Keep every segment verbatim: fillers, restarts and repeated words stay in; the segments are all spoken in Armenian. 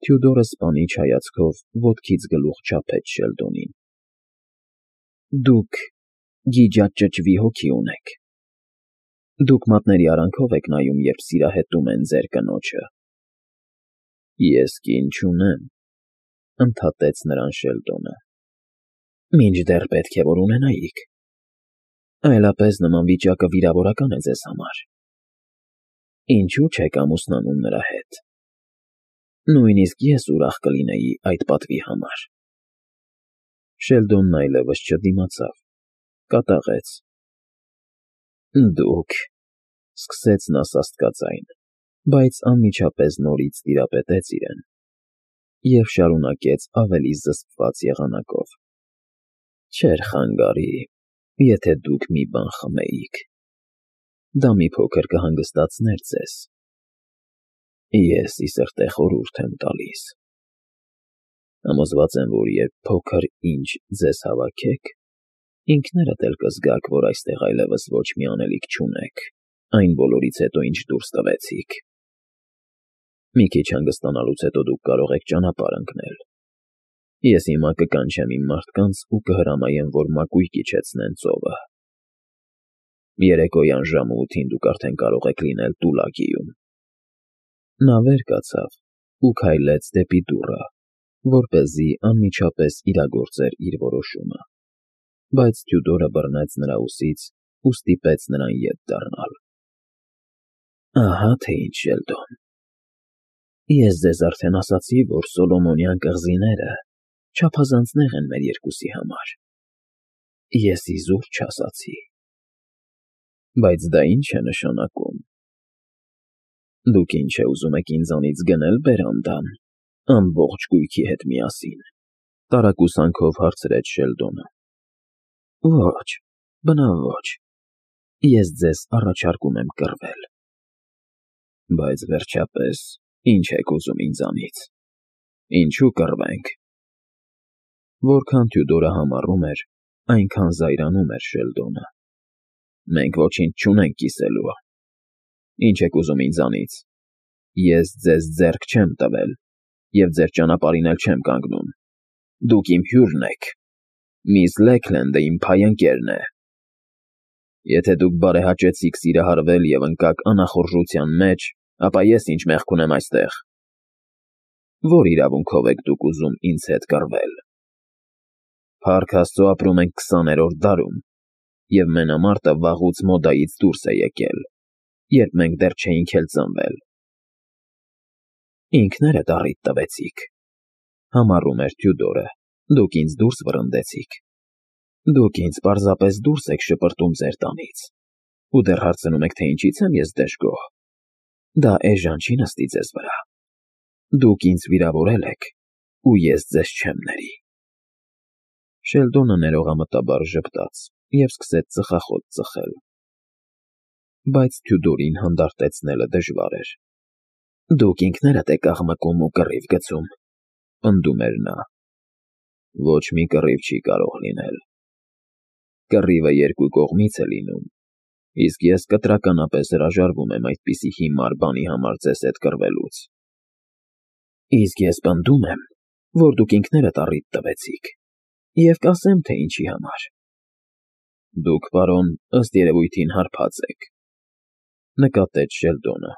Թյուդորը սպանիչ հայացքով ոտքից գլուխ չափեց Շելդոնին։ ֊ Դուք գիջաճճվի հոգի ունեք, դուք մատների արանքով եք նայում, երբ սիրահետում են ձեր կնոջը։ ֊ Ես կին չունեմ,֊ ընդհատեց նրան Շելդոնը։ ֊ Մինչդեռ պետք է որ ունենայիք, այլապես նման վիճակը վիրավորական է ձեզ համար։ Ինչո՞ւ չեք ամուսնանում նրա հետ։ Նույնիսկ ես ուրախ կլինեի այդ պատվի համար։ Շելդոնն այլևս չդիմացավ, կատաղեց։ ֊ Դուք,֊ սկսեց նա սաստկաձայն, բայց անմիջապես նորից տիրապետեց իրեն և շարունակեց ավելի զսպված եղանակով,֊ չէր խանգարի, եթե դուք մի բան խմեիք. դա մի փոքր կհանգստացներ ձեզ։ Ես ի սրտե խորհուրդ եմ տալիս. համոզված եմ, որ երբ փոքր ինչ ձեզ հավաքեք, ինքներդ էլ կզգաք, որ այստեղ այլևս ոչ մի անելիք չունեք այն բոլորից հետո, ինչ դուրս տվեցիք։ Մի քիչ հանգստանալուց հետո դուք կարող եք ճանապարհ ընկնել։ Ես հիմա կկանչեմ իմ մարդկանց ու կհրամայեմ, որ մակույկը իջեցնեն ծովը։ Երեկոյան ժամը ութին դուք արդեն կարող եք լինել Տուլագիում։ Նա վեր կացավ ու քայլեց դեպի դուռը, որպեսզի անմիջապես իրագործեր իր որոշումը, բայց Թյուդորը բռնեց նրա ուսից ու ստիպեց նրան ետ դառնալ։ ֊ Ահա թե ինչ, Շելդոն, ես ձեզ արդեն ասացի, որ Սոլոմոնյան կղզիները չափազանց նեղ են մեր երկուսի համար։ Ես իզուր չասացի։ Բայց դա ի՞նչ է նշանակում։ Դուք ինչ է ուզում եք ինձանից գնել բերանդան, ամբողջ գույքի հետ միասին,֊ տարակուսանքով հարցրեց Շելդոնը։ ֊ Ոչ, բնավ ոչ, ես ձեզ առաջարկում եմ կռվել։ ֊ Բայց վերջապես ի՞նչ եք ուզում ինձանից, ինչու կռվենք։ Որքան Թյուդորը համառում էր, այնքան զայրանում էր Շելդոնը։ ֊ Մենք ոչինչ չունենք կիսելու։ Ինչ եք ուզում ինձանից։ Ես ձեզ ձեռք չեմ տվել և ձեր ճանապարհին էլ չեմ կանգնում։ Դուք իմ հյուրն եք, միս Լեքլենդը իմ փայ ընկերն է։ Եթե դուք բարեհաճեցիք սիրահարվել և ընկաք անախորժության մեջ, ապա ես ինչ մեղք ունեմ այստեղ։ Ո՞ր իրավունքով եք դուք ուզում ինձ հետ կռվել։ Փառք Աստծո, ապրում ենք քսաներորդ դարում, և մենամարտը վաղուց մոդայից դուրս է եկել, երբ մենք դեռ չէինք էլ ծնվել։ Ինքներդ առիթ տվեցիք,֊ համառում էր Թյուդորը,֊ դուք ինձ դուրս վռնդեցիք։ Դուք ինձ պարզապես դուրս եք շպրտում ձեր տանից ու դեռ հարցնում եք, թե ինչից եմ ես դժգոհ։ Դա էժան չի նստի ձեզ վրա։ Դուք ինձ վիրավորել եք, ու ես ձեզ չեմ ների։ Շելդոնը ներողամտաբար ժպտաց և սկսեց ծխախոտ ծխել։ Բայց Թյուդորին հանդարտեցնելը դժվար էր։ Դուք ինքներդ եք աղմկում ու կռիվ գցում,֊ պնդում էր նա։ Ոչ մի կռիվ չի կարող լինել։ Կռիվը երկու կողմից է լինում, իսկ ես կտրականապես հրաժարվում եմ այդպիսի հիմար բանի համար ձեզ հետ կռվելուց։ Իսկ ես պնդում եմ, որ դուք ինքներդ առիթ տվեցիք, և կասեմ, թե ինչի համար։ Դուք, պարոն, ըստ երևույթին հարբած եք,֊ նկատեց Շելդոնը,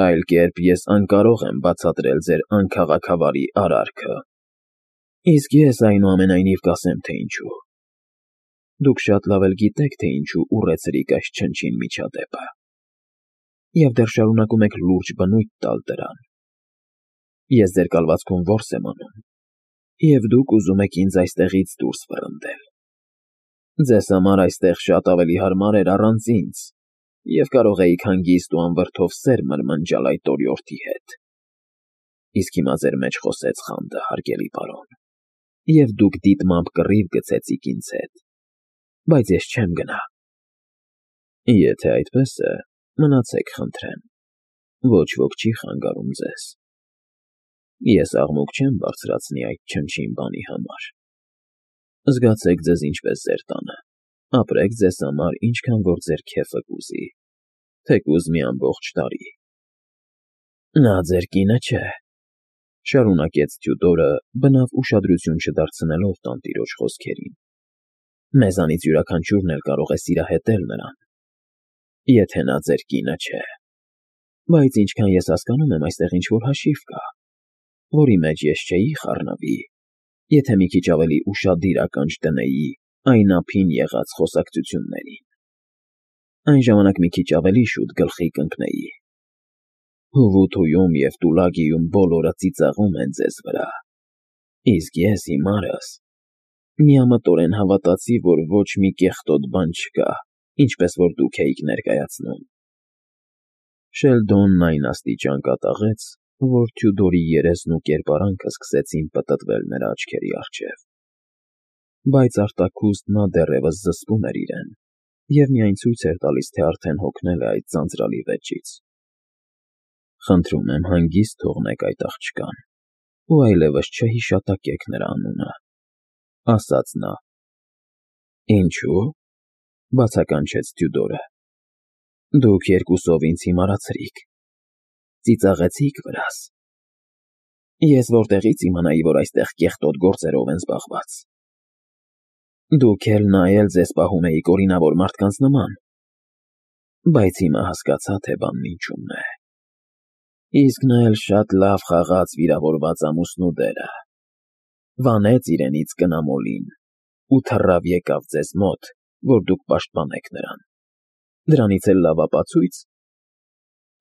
այլ կերպ ես անկարող եմ բացատրել ձեր անքաղաքավարի արարքը։ Իսկ ես այնուամենայնիվ կասեմ, թե ինչու։ Դուք շատ լավ էլ գիտեք, թե ինչու ուռեցրիք այս չնչին միջադեպը, և դեռ շարունակում եք լուրջ բնույթ տալ դրան։ Ես ձեր կալվածքում որս եմ անում, և դուք ուզում եք ինձ այստեղից դուրս վռնդել։ Ձեզ համար այստեղ շատ ավելի հարմար էր առանց ինձ, և կարող էիք հանգիստ ու անվրդով սեր մրմնջալ այդ օրիորդի հետ։ Իսկ հիմա ձեր մեջ խոսեց խանդը, հարգելի պարոն, և դուք դիտմամբ կռիվ գցեցիք ինձ հետ, բայց ես չեմ գնա։ Եթե այդպես է, մնացեք խնդրեմ, ոչ ոք չի խանգարում ձեզ։ Ես աղմուկ չեմ բարձրացնի այդ չնչին բանի համար։ Զգացեք ձեզ ինչպես ձեր տանը, ապրեք ձեզ համար, ինչքան որ ձեր քեֆը կուզի, թեկուզ մի ամբողջ տարի։ Նա ձեր կինը չէ։ Շարունակեց Թյուդորը, բնավ ուշադրություն չդարձնելով տանտիրոջ խոսքերին։ Մեզանից յուրաքանչյուրն էլ կարող է սիրահետել նրան, եթե նա ձեր կինը չէ։ Բայց ինչքան ես հասկանում եմ, այստեղ ինչ-որ հաշիվ կա, որի մեջ ես չէի խառնվի, եթե մի քիչ ավելի ուշադիր ականջ դնեի այն ափին եղած խոսակցություններին։ Այն ժամանակ մի քիչ ավելի շուտ գլխի կընկնեի։ Հուվութույում և Տուլագիում բոլորը ծիծաղում են ձեզ վրա, իսկ ես հիմարս միամտորեն հավատացի, որ ոչ մի կեղտոտ բան չկա, ինչպես որ դուք էիք ներկայացնում։ Շելդոնն այն աստիճան կատաղեց, որ Թյուդորի երեսն ու կերպարանքը սկսեցին պտտվել նրա աչքերի առջև։ Բայց արտաքուստ նա դեռևս զսպում էր իրեն և միայն ցույց էր տալիս, թե արդեն հոգնել է այդ ձանձրալի վեճից։ Խնդրում եմ, հանգիստ թողնեք այդ աղջկան ու այլևս չհիշատակեք նրա անունը, ասաց նա։ Ինչո՞ւ, բացականչեց Թյուդորը։ Դուք երկուսով ինձ հիմարացրիք, ծիծաղեցիք վրաս։ Ես որտեղից իմանայի, որ այստեղ կեղտոտ գործերով են զբաղված։ Դուք էլ նա էլ ձեզ պահում էիք օրինավոր մարդկանց նման։ Բայց հիմա հասկացա, թե բանն ինչումն է։ Իսկ նա էլ շատ լավ խաղաց վիրավորված ամուսնու դերը, վանեց իրենից կնամոլին ու թռավ եկավ ձեզ մոտ, որ դուք պաշտպանեք նրան։ Դրանից էլ լավ ապացույց։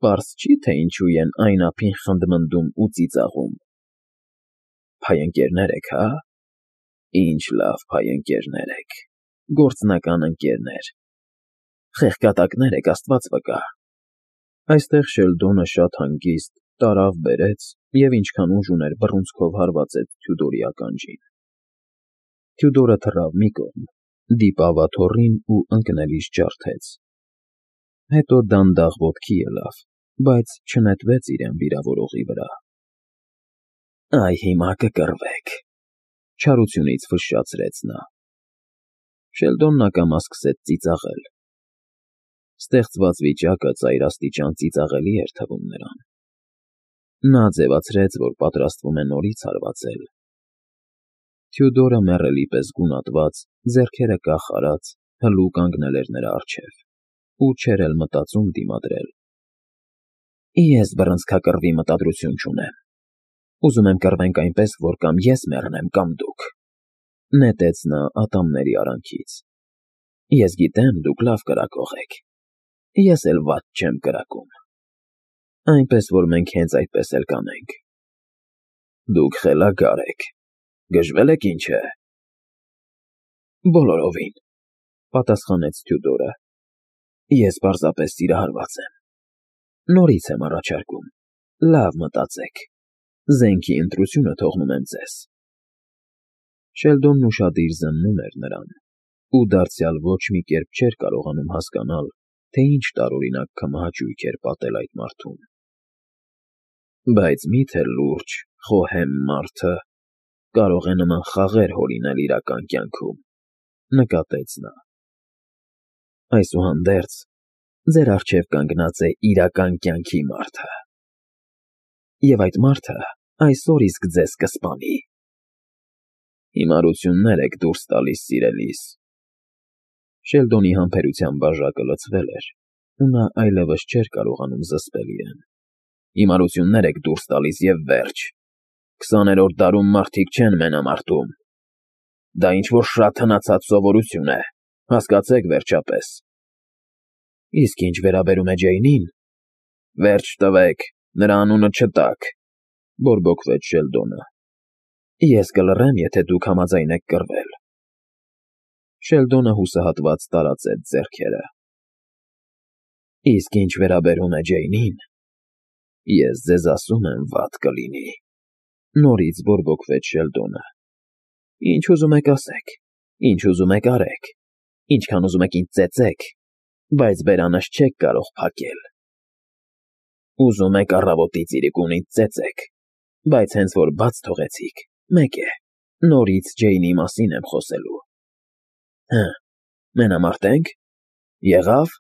Պարզ չի, թե ինչու են այն ափին խնդմնդում ու ծիծաղում։ Փայընկերներ եք, հա՞։ Ինչ լավ փայընկերներ եք, գործնական ընկերներ։ Խեղկատակներ եք, Աստված վկա։ Այստեղ Շելդոնը շատ հանգիստ տարավ բերեց և ինչքան ուժ ուներ բռունցքով հարվածեց Թյուդորի ականջին։ Թյուդորը թռավ մի կողմ, դիպավ աթոռին ու ընկնելիս ջարդեց։ Հետո դանդաղ ոտքի ելավ, բայց չնետվեց իրեն վիրավորողի վրա։ Այ հիմա կկռվեք, չարությունից ֆշշացրեց նա։ Շելդոնն ակամա սկսեց ծիծաղել։ Ստեղծված վիճակը ծայրաստիճան ծիծաղելի էր թվում նրան։ Նա ձևացրեց, որ պատրաստվում է նորից հարվածել։ Թյուդորը մեռելի պես գունատված, ձեռքերը կախ արած, հլու կանգնել էր նրա առջև ու չէր էլ մտածում դիմադրել։ Ես բռնցքակռվի մտադրություն չունեմ։ Ուզում եմ կռվենք այնպես, որ կամ ես մեռնեմ, կամ դուք, նետեց նա ատամների արանքից։ Ես գիտեմ, դուք լավ կրակող եք։ Ես էլ վատ չեմ կրակում։ Այնպես որ մենք հենց այդպես էլ կանենք։ Դուք խելագար եք, գժվել եք ինչ է։ Բոլորովին, պատասխանեց Թյուդորը։ Ես պարզապես սիրահարված եմ։ Նորից եմ առաջարկում, լավ մտածեք, զենքի ընտրությունը թողնում եմ ձեզ։ Շելդոնն ուշադիր զննում էր նրան, ու դարձյալ ոչ մի կերպ չէր կարողանում հասկանալ, թե ինչ տարօրինակ քմահաճույք էր պատել այդ մարդուն։ Բայց մի՞թե լուրջ, խոհեմ մարդը կարող է նման խաղեր հորինել իրական կյանքում, նկատեց նա։ Այսուհանդերձ, ձեր առջև կանգնած է իրական կյանքի մարդը։ Եվ այդ մարդը այսօր իսկ ձեզ կսպանի։ Հիմարություններ եք դուրս տալիս, սիրելիս։ Շելդոնի համբերության բաժակը լցվել էր, ու նա այլևս չէր կարողանում զսպել իրեն։ Հիմարություններ եք դուրս տալիս և վերջ։ Քսաներորդ դարում մարդիկ չեն մենամարտում։ Դա ինչ-որ շատ հնացած սովորություն է, հասկացեք վերջապես։ Իսկ ինչ վերաբերում է Ջեյնին, վերջ տվեք, նրա անունը չտաք, բորբոքվեց Շելդոնը։ Ես կլռեմ, եթե դուք համաձայն եք կռվել։ Շելդոնը հուսահատված տարածեց ձեռքերը։ Իսկ ինչ վերաբերում է Ջեյնին, ես ձեզ ասում եմ, վատ կլինի, նորից բորբոքվեց Շելդոնը։ Ինչ ուզում եք ասեք, ինչ ուզում եք արեք, ինչքան ուզում եք ինձ ծեծեք, բայց բերանս չեք կարող փակել։ Ուզում եք առավոտից իրիկուն ինձ ծեծեք, բայց հենց որ բաց թողեցիք, մեկ է, նորից Ջեյնի մասին եմ խոսելու։ Հը, մենամարտենք, եղավ։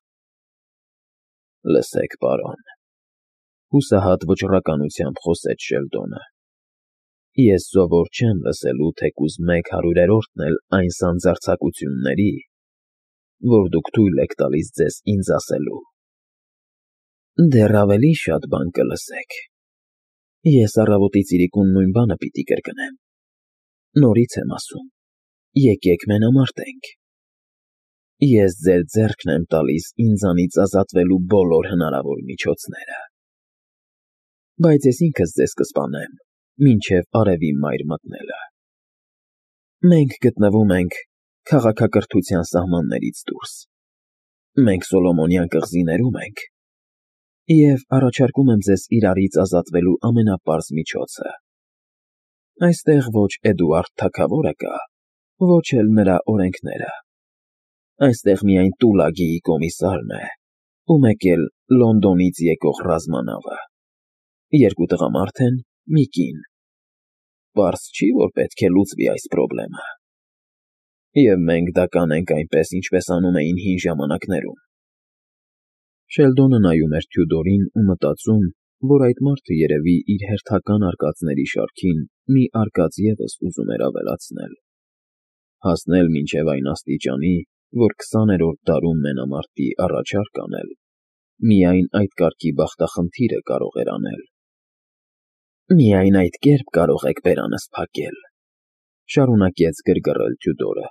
Լսեք, պարոն, հուսահատ վճռականությամբ խոսեց Շելդոնը։ Ես սովոր չեմ լսելու թեկուզ մեկ հարյուրերորդն էլ այն սանձարձակությունների, որ դուք թույլ եք տալիս ձեզ ինձ ասելու։ Դեռ ավելի շատ բան կլսեք։ Ես առավոտից իրիկուն նույն բանը պիտի կրկնեմ։ Նորից եմ ասում, եկեք մենամարտենք։ Ես ձեր ձեռքն եմ տալիս ինձանից ազատվելու բոլոր հնարավոր միջոցները։ Բայց ես ինքս ձեզ կսպանեմ, մինչև արևի մայր մտնելը։ Մենք գտնվում ենք քաղաքակրթության սահմաններից դուրս։ Մենք Սոլոմոնյան կղզիներում ենք, և առաջարկում եմ ձեզ իրարից ազատվելու ամենապարզ միջոցը։ Այստեղ ոչ Էդուարդ թագավորը կա, ոչ էլ նրա օրենքները։ Այստեղ միայն Տուլագիի կոմիսարն է ու մեկ էլ Լոնդոնից եկող ռազմանավը, երկու տղամարդ են, մի կին։ Պարզ չի, որ պետք է լուծվի այս պրոբլեմը։ Եվ մենք դա կանենք այնպես, ինչպես անում էին հին ժամանակներում։ Շելդոնը նայում էր Թյուդորին ու մտածում, որ այդ մարդը երևի իր հերթական արկածների շարքին մի արկած ևս ուզում էր ավելացնել, հասնել մինչև այն աստիճանի, որ քսաներորդ դարում մենամարտի առաջարկ անել, միայն այդ կարգի բախտախնդիրը կարող էր անել։ Միայն այդ կերպ կարող եք բերանս փակել, շարունակեց գրգռել Թյուդորը։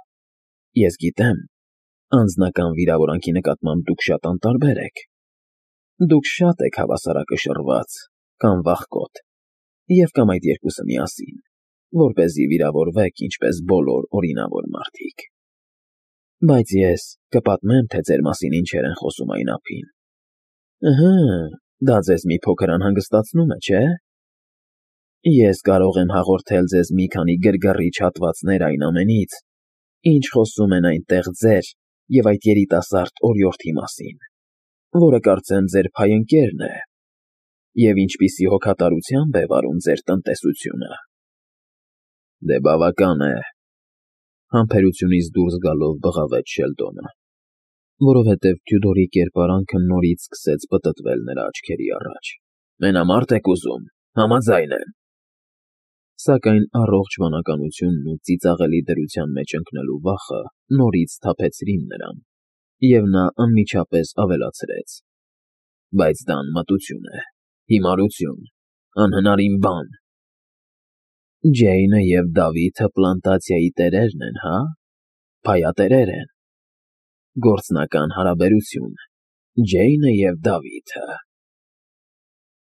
Ես գիտեմ, անձնական վիրավորանքի նկատմամբ դուք շատ անտարբեր եք։ Դուք շատ եք հավասարակշռված կամ վախկոտ, և կամ այդ երկուսը միասին, որպեսզի վիրավորվեք ինչպես բոլոր օրինավոր մարդիկ։ Բայց ես կպատմեմ, թե ձեր մասին ինչեր են խոսում այն ափին։ Ըհը, դա ձեզ մի փոքր անհանգստացնում է, չէ՞։ Ես կարող եմ հաղորդել ձեզ մի քանի գրգռիչ հատվածներ այն ամենից, ինչ խոսում են այնտեղ ձեր և այդ երիտասարդ օրիորդի մասին, որը կարծեմ ձեր փայընկերն է, և ինչպիսի հոգատարությամբ է վարում ձեր տնտեսությունը։ Դե բավական է, համբերությունից դուրս գալով բղավեց Շելդոնը, որովհետև Թյուդորի կերպարանքը նորից սկսեց պտտվել նրա աչքերի առաջ։ Մենամա՞րդ եք ուզում, համաձայն եմ։ Սակայն առողջ վանականությունն ու ծիծաղելի դրության մեջ ընկնելու վախը նորից սթափեցրին նրան, և նա անմիջապես ավելացրեց. Բայց դա անմտություն է, հիմարություն, անհնարին բան։ Ջեյնը և Դավիթը պլանտացիայի տերերն են, հա՞, փայատերեր են։ Գործնական հարաբերություն, Ջեյնը և Դավիթը։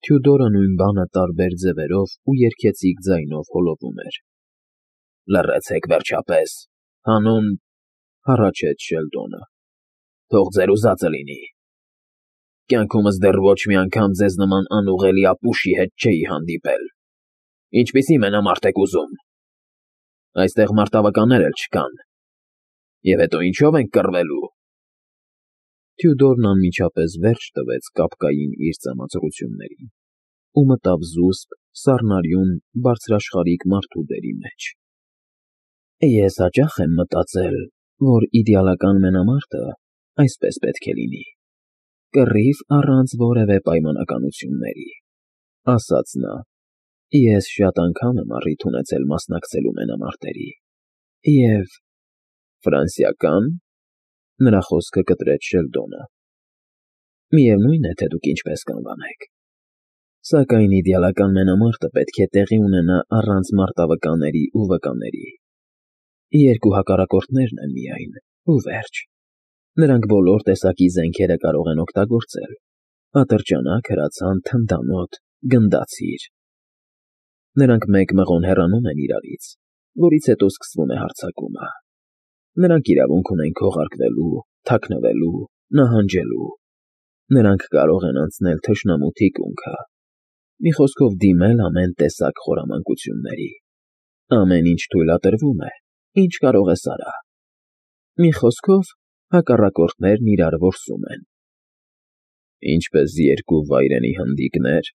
Թյուդորը նույն բանը տարբեր ձևերով ու երգեցիկ ձայնով հոլովում էր։ Լռեցեք վերջապես, հանուն… հառաչեց Շելդոնը։ Թող ձեր ուզածը լինի։ Կյանքումս դեռ ոչ մի անգամ ձեզ նման անուղղելի ապուշի հետ չէի հանդիպել։ Ինչպիսի մենամարտ եք ուզում։ Այստեղ մարտավականներ էլ չկան։ Եվ հետո ինչո՞վ ենք կռվելու։ Թյուդորն անմիջապես վերջ տվեց կապկային իր ծամածռություններին ու մտավ զուսպ, սառնարյուն, բարձրաշխարհիկ մարդու դերի մեջ։ Ես հաճախ եմ մտածել, որ իդեալական մենամարտը այսպես պետք է լինի. կռիվ առանց որևէ պայմանականությունների, ասաց նա։ Ես շատ անգամ եմ առիթ ունեցել մասնակցելու մենամարտերի, և… Ֆրանսիակա՞ն։ Նրա խոսքը կտրեց Շելդոնը։ Միևնույն է, թե դուք ինչպես կանվանեք։ Սակայն իդեալական մենամարտը պետք է տեղի ունենա առանց մարտավկանների ու վկաների։ Երկու հակառակորդներն են միայն, ու վերջ։ Նրանք բոլոր տեսակի զենքերը կարող են օգտագործել՝ ատրճանակ, հրացան, թնդանոթ, գնդացիր։ Նրանք մեկ մղոն հեռանում են իրարից, որից հետո սկսվում է հարձակումը։ Նրանք իրավունք ունեն քողարկվելու, թաքնվելու, նահանջելու։ Նրանք կարող են անցնել թշնամու թիկունքը, մի խոսքով դիմել ամեն տեսակ խորամանկությունների։ Ամեն ինչ թույլատրվում է, ինչ կարող ես արա։ Մի խոսքով, հակառակորդներն իրար որսում են։ Ինչպես երկու վայրենի հնդիկնե՞ր։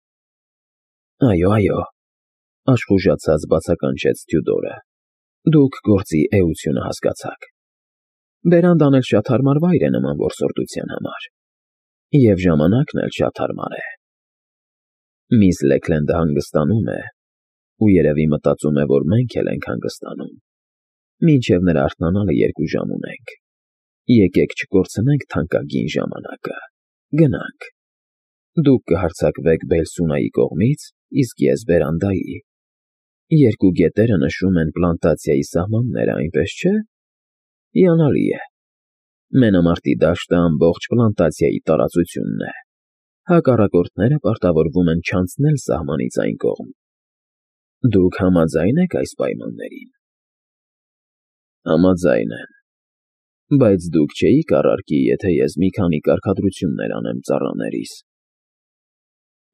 Այո, այո, աշխուժացած բացականչեց Թյուդորը։ Դուք գործի էությունը հասկացաք։ Բերանդ անել շատ հարմար վայր է նման որսորդության համար։ Եվ ժամանակն էլ շատ հարմար է։ Միս Լեքլենդը հանգստանում է, ու երևի մտածում է, որ մենք էլ ենք հանգստանում։ Մինչև նրա արթնանալը երկու ժամ ունենք։ Եկեք չկորցնենք թանկագին ժամանակը։ Գնանք։ Դուք կհարձակվեք Բելսունայի կողմից, իսկ ես բերանդայի։ Երկու գետերը նշում են պլանտացիայի սահմանները, այնպես չէ՞։ Հիանալի է։ Մենամարտի դաշտը ամբողջ պլանտացիայի տարածությունն է։ Հակառակորդները պարտավորվում են չանցնել սահմանից այն կողմ։ Դուք համաձա՞յն եք այս պայմաններին։ Համաձայն եմ։ Բայց դուք չէիք առարկի, եթե ես մի քանի կարգադրություններ անեմ ծառաներիս։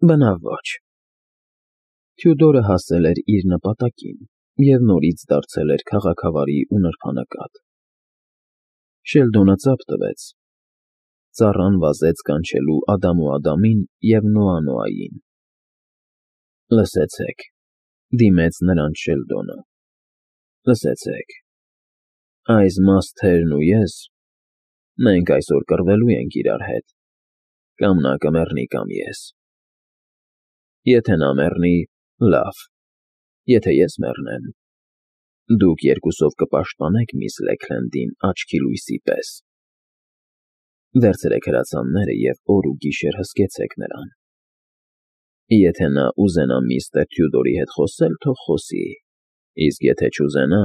Բնավ ոչ։ Թյուդորը հասել էր իր նպատակին և նորից դարձել էր քաղաքավարի ու նրբանկատ։ Շելդոնը ծափ տվեց։ Ծառան վազեց կանչելու Ադամ ու Ադամին և Նոա Նոային։ Լսեցեք,֊ դիմեց նրանց Շելդոնը,֊ լսեցեք։ Այս մասթերն ու ես, մենք այսօր կռվելու ենք իրար հետ, կամ նա կմեռնի, կամ ես։ Եթե նա մեռնի, լավ, եթե ես մեռնեմ, դուք երկուսով կպաշտպանեք միս Լեքլենդին աչքի լույսի պես։ Վերցրեք հրացանները և օր ու գիշեր հսկեցեք նրան։ Եթե նա ուզենա միստր Թյուդորի հետ խոսել, թող խոսի, իսկ եթե չուզենա,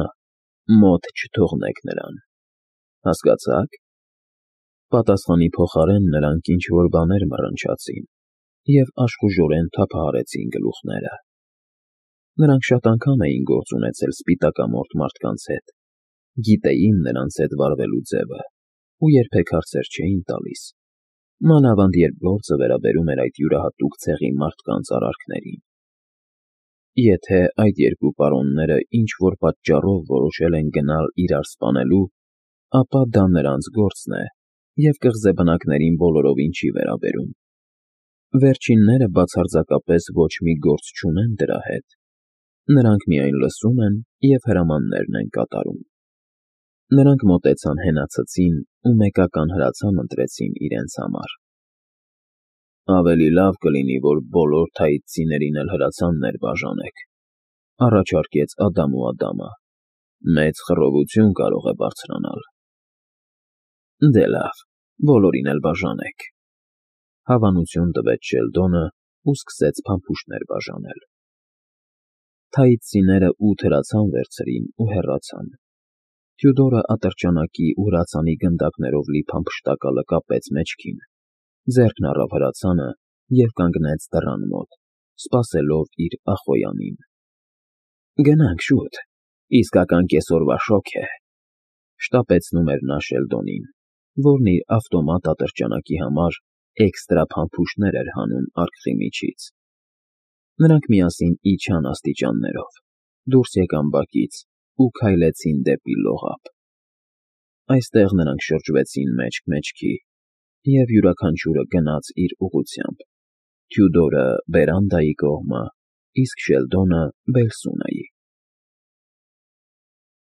մոտ չթողնեք նրան։ Հասկացա՞ք։ Պատասխանի փոխարեն նրանք ինչ֊որ բաներ մռնչացին և աշխուժորեն թափահարեցին գլուխները։ Նրանք շատ անգամ էին գործ ունեցել սպիտակամորթ մարդկանց հետ, գիտեին նրանց հետ վարվելու ձևը ու երբեք հարցեր չէին տալիս, մանավանդ երբ գործը վերաբերում էր այդ յուրահատուկ ցեղի մարդկանց արարքներին։ Եթե այդ երկու պարոնները ինչ֊որ պատճառով որոշել են գնալ իրար սպանելու, ապա դա նրանց գործն է և կղզեբնակներին բոլորովին չի վերաբերում։ Վերջինները բացարձակապես ոչ մի գործ չունեն դրա հետ։ Նրանք միայն լսում են և հրամաններն են կատարում։ Նրանք մոտեցան հենացածին ու մեկական հրացան ընտրեցին իրենց համար։ Ավելի լավ կլինի, որ բոլոր թաիցցիներին էլ հրացաններ բաժանեք,֊ առաջարկեց Ադամ ու Ադամը։ Մեծ խռովություն կարող է բարձրանալ։ Դե լավ, բոլորին էլ բաժանեք,֊ հավանություն տվեց Շելդոնը ու սկսեց փամփուշտներ բաժանել։ Թաիցցիները ութ հրացան վերցրին ու հեռացան։ Թյուդորը ատրճանակի ու հրացանի գնդակներով լի փամփշտակալը կապեց մեջքին, ձեռքն առավ հրացանը և կանգնեց դռան մոտ, սպասելով իր ախոյանին։ Գնանք շուտ, իսկական կեսօրվա շոգ է,֊ շտապեցնում էր նա Շելդոնին, որն իր ավտոմատ ատրճանակի համար էքստրա փամփուշտներ էր հանում արկղի միջից։ Նրանք միասին իջան աստիճաններով, դուրս եկան բակից ու քայլեցին դեպի լողափ։ Այստեղ նրանք շրջվեցին մեջք մեջքի, և յուրաքանչյուրը գնաց իր ուղղությամբ՝ Թյուդորը բերանդայի կողմը, իսկ Շելդոնը՝ Բելսունայի։